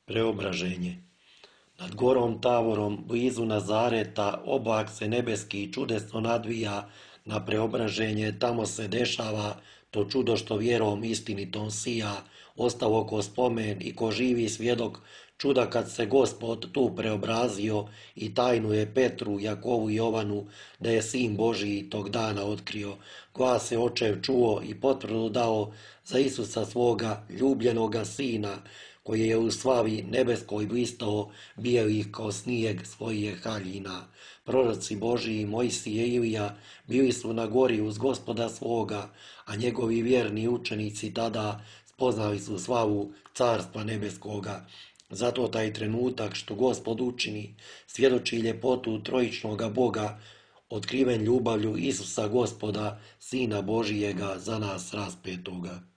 Preobraženje. Nad gorom Tavorom, blizu Nazareta, oblak se nebeski čudesno nadvija na preobraženje, tamo se dešava to čudo što vjerom istinitom sija, ostalo ko spomen i ko živi svjedok čuda kad se Gospod tu preobrazio i tajnu je Petru, Jakovu i Jovanu da je Sin Božiji tog dana otkrio. Glas je očev čuo i potvrdu dao za Isusa svoga ljubljenoga Sina, koji je u slavi nebeskoj blistao bijelih kao snijeg svojih haljina. Proroci Božiji, Mojsije i Ilija bili su na gori uz Gospoda svoga, a njegovi vjerni učenici tada spoznali su slavu carstva nebeskoga. Zato taj trenutak što Gospod učini svjedoči ljepotu trojičnoga Boga, otkriven ljubavlju Isusa Gospoda, Sina Božijega za nas raspetoga.